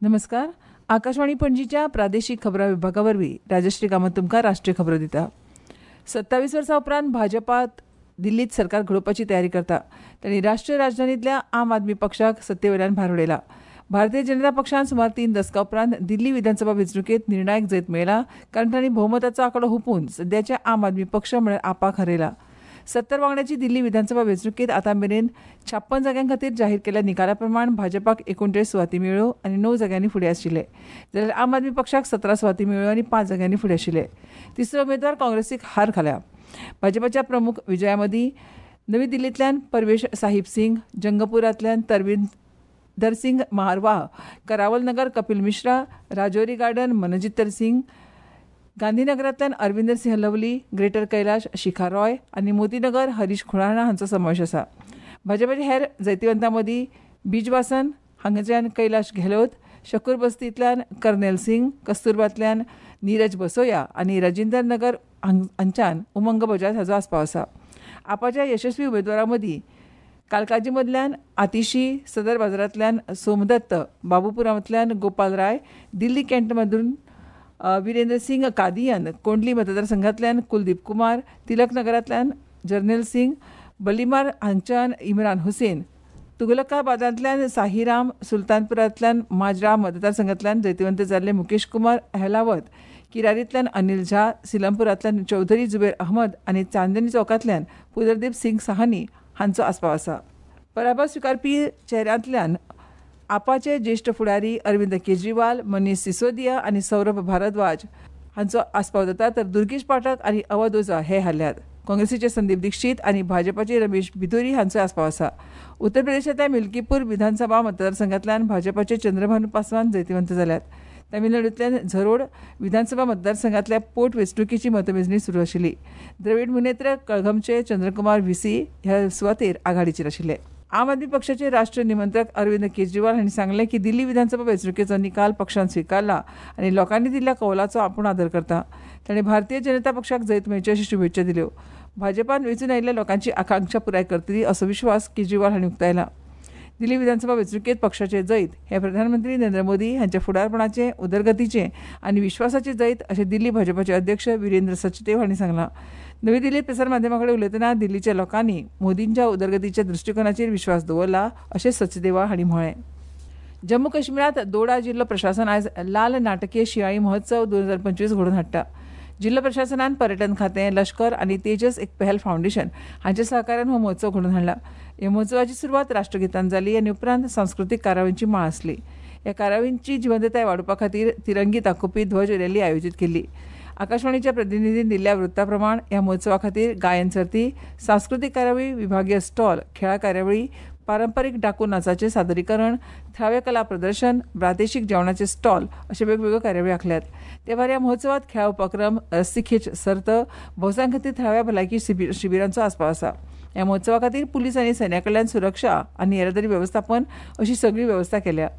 नमस्कार, आकाशवाणी पणजीच्या प्रादेशिक खबरां विभागा वरवीं राजश्री कामत तुमकां राष्ट्रीय खबरो दिता. 27 वर्सां उपरांत भाजपात दिल्लीत सरकार घडोवपाची तयारी करता. तांणी राष्ट्रीय राजधानींतल्या आम आदमी पक्षाक सत्तेवयल्यान भायर उडयला. भारतीय जनता पक्षान सुमार 3 दसकां उपरांत दिल्ली विधानसभा वेंचणुकेंत निर्णायक जैत मेळयला, कारण तांणी भोवमताचो आंकडो हुपून सद्याचे आम आदमी पक्ष म्हळ्यार आपाक हरयला. 70 वांगड्याची दिल्ली विधानसभा वेंचणुकेंत आतां मेरेन 56 जाग्यां खातीर जाहीर केल्ल्या निकाला प्रमाण भाजपाक 39 सुवाती मेळ्ळ्यो आनी 9 जाग्यांनी फुडें आशिल्ले, जाल्यार आम आदमी पक्षाक 17 सुवाती मेळ्ळ्यो आनी 5 जाग्यांनी फुडें आशिल्ले. तिसरो उमेदवार काँग्रेसीक हार घाल्या. भाजपाच्या प्रमुख विजया मदीं नवी दिल्लींतल्यान परवेश साहिब सिंग, जंगपुरांतल्यान तरविंदर सिंग महारवाह, करावल नगर कपिल मिश्रा, राजौरी गार्डन मनजित्तर सिंग, गांधीनगरांतल्यान अरविंदर सिंह लवली, ग्रेटर कैलाश शिखा रॉय आनी मोतीनगर हरीश खुराणा हांचो समावेश आसा. भाजपाच्या हेर जैतिवंतां मदीं बिजवासन हांगाच्यान कैलाश गेहलोत, शकूर बस्तींतल्यान कर्नेल सिंग, कस्तुरबांतल्यान नीरज बसोया आनी राजिंदर नगर हांच्यान उमंग बजाज हाचो आस्पाव आसा. आपाच्या यशस्वी उमेदवारां मदीं कालकाजी मदल्यान आतिशी, सदर बाजारांतल्यान सोमदत्त, बाबूपुरांतल्यान गोपाल राय, दिल्ली कॅन्ट मधून विरेंद्र सिंग कादियन, कोंडली मतदारसंघांतल्यान कुलदीप कुमार, तिलक नगरांतल्यान जर्नेल सिंग, बलिमार हांच्यान इम्रान हुसेन, तुगलकाबादांतल्यान साहिराम, सुलतानपुरांतल्यान माजरा मतदारसंघांतल्यान जैतिवंत जाल्ले मुकेश कुमार अहलावत, किरारींतल्यान अनिल झा, सिलमपुरांतल्यान चौधरी जुबेर अहमद आनी चांदनी चौकांतल्यान पुदरदीप सिंग साहनी हांचो आस्पाव आसा. पराभव स्विकारपी चेहऱ्यांतल्यान आपाचे ज्येश्ठ फुडारी अरविंद केजरीवाल, मनीष सिसोदिया आनी सौरभ भारद्वाज हांचो आस्पाव जाता, तर दुर्गेश पाठक आनी अवध ओझा हे हारल्यात. काँग्रेसीचे संदीप दीक्षित आनी भाजपाचे रमेश बिधुरी हांचो आस्पाव आसा. उत्तर प्रदेशांतल्या मिल्कीपूर विधानसभा मतदारसंघांतल्यान भाजपाचे चंद्रभानू पासवान जैतिवंत जाल्यात. तमिळनाडूंतल्यान झरोड विधानसभा मतदारसंघांतल्या पोट वेंचणुकेची मतमेजणी सुरू आशिल्ली. द्रवीड मुनेत्र कळघमचे चंद्रकुमार व्हीसी ह्या सुवातेर आघाडीचेर आशिल्ले. आम आदमी पक्षाचे राष्ट्रीय निमंत्रक अरविंद केजरीवाल हांणी सांगलें की दिल्ली विधानसभा वेंचणुकेचो निकाल पक्षान स्विकारला आनी लोकांनी दिल्ल्या कौलाचो आपूण आदर करता. ताणें भारतीय जनता पक्षाक जैत मेळचें अशी शुभेच्छा दिल्यो. भाजपान वेंचून आयिल्ल्या लोकांची आकांक्षा पुराय करतली असो विश्वास केजरीवाल हांणी उक्तायला. दिल्ली विधानसभा वेंचणुकेंत पक्षाचें जैत हें प्रधानमंत्री नरेंद्र मोदी हांच्या फुडारपणाचें, उदरगतीचें आनी विश्वासाचें जैत अशें दिल्ली भाजपाचे अध्यक्ष विरेंद्र सचदेव हांणी सांगलां. नवी दिल्लीत प्रसार माध्यमां कडेन उलयतना दिल्लीच्या लोकांनी मोदींच्या उदरगतीच्या दृश्टिकोनाचेर विश्वास दवरला अशें सचदेवा हांणी म्हळें. जम्मू काश्मीरांत दोडा जिल्लो प्रशासन आयज लाल नाटकीय शिंयाळी महोत्सव 2025 घडोवन हाडटा. जिल्लो प्रशासनान पर्यटन खातें, लश्कर आनी तेजस एक पहल फावंडेशन हांच्या सहकार्यान हो महोत्सव घडोवन हाडला. ह्या महोत्सवाची सुरवात राष्ट्रगीतान जाली आनी उपरांत सांस्कृतीक कार्यावळींची माळ आसली. ह्या कार्यावळींची जिवंतताय वाडोवपा खातीर तिरंगी दाखोवपी ध्वज रॅली आयोजीत केल्ली. आकाशवाणीच्या प्रतिनिधीन दिल्ल्या वृत्ता प्रमाण ह्या महोत्सवा खातीर गायन सर्ती, सांस्कृतीक कार्यावळी, विभागीय स्टॉल, खेळां कार्यावळी, पारंपरीक डाकू नाचाचें सादरीकरण, थळावे कला प्रदर्शन, प्रादेशीक जेवणाचे स्टॉल अशे वेगवेगळ्यो कार्यावळी आंखल्यात. ते भायर ह्या महोत्सवात खेळा उपक्रम, रस्सीखेच सर्त, भौसां खातीर थळाव्या भलायकी शिबिरांचो आस्पाव आसा. ह्या महोत्सवा खातीर पुलीस आनी सैन्या कडल्यान सुरक्षा आनी येरादारी वेवस्थापन अशी सगळी वेवस्था केल्या.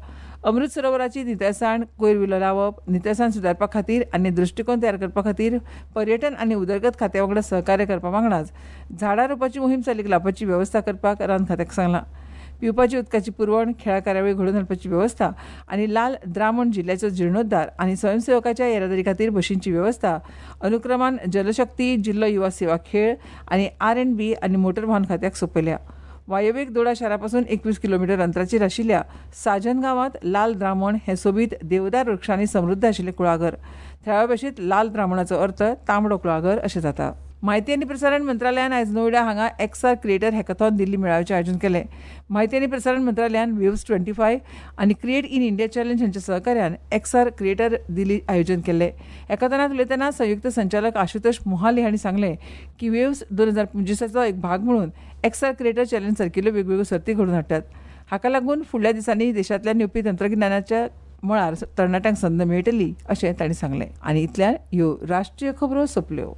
अमृत सरोवराची नितळसाण, कोयर विलो लावप, नितळसाण सुदारपा खातीर आनी दृश्टिकोन तयार करपा खातीर पर्यटन आनी उदरगत खात्या वांगडा सहकार्य करपा वांगडाच झाडां रोवपाची मोहीम चालीक लावपाची वेवस्था करपाक रान खात्याक सांगलां. पिवपाची उदकाची पुरवण, खेळां कार्यावळी घडोवन हाडपाची वेवस्था आनी लाल द्रामण जिल्ल्याचो जिर्णोद्धार आनी स्वयंसेवकाच्या येरादारी खातीर बशींची वेवस्था अनुक्रमान जलशक्ती, जिल्लो युवा सेवा खेळ आनी R&B आनी मोटर वाहन खात्याक सोंपयल्या. वायव्येक दोडा शारापासून 21 किलोमिटर अंतराचेर आशिल्ल्या साजन गांवांत लाल द्रामण हें सोबीत देवदार वृक्षांनी समृद्ध आशिल्लें कुळागर. थळाव्या भाशेंत लाल द्रामणाचो अर्थ तांबडो कुळागर अशें जाता. माहिती आनी प्रसारण मंत्रालयान आयज नोयडा हांगा एक्सआर क्रिएटर हॅकॅथॉन दिल्ली मेळाव्याचें आयोजन केलें. माहिती आनी प्रसारण मंत्रालयान वेव्स 25 आनी क्रिएट इन इंडिया चॅलेंज हांच्या सहकार्यान एक्सआर क्रिएटर दिल्ली आयोजन केल्लें. हॅकॅथॉनांत उलयतना संयुक्त संचालक आशुतोष मोहाली हांणी सांगलें की वेव्स 2025 एक भाग म्हणून एक्सआर क्रिएटर चॅलेंज सारकिल्ल्यो वेगवेगळ्यो सर्ती घडोवन हाडटात. हाका लागून फुडल्या दिसांनी देशांतल्यान येवपी तंत्रगिन्यानाच्या मळार तरणाट्यांक संद मेळटली अशें तांणी सांगलें. आनी इतल्यान ह्यो राष्ट्रीय खबरो सोंपल्यो.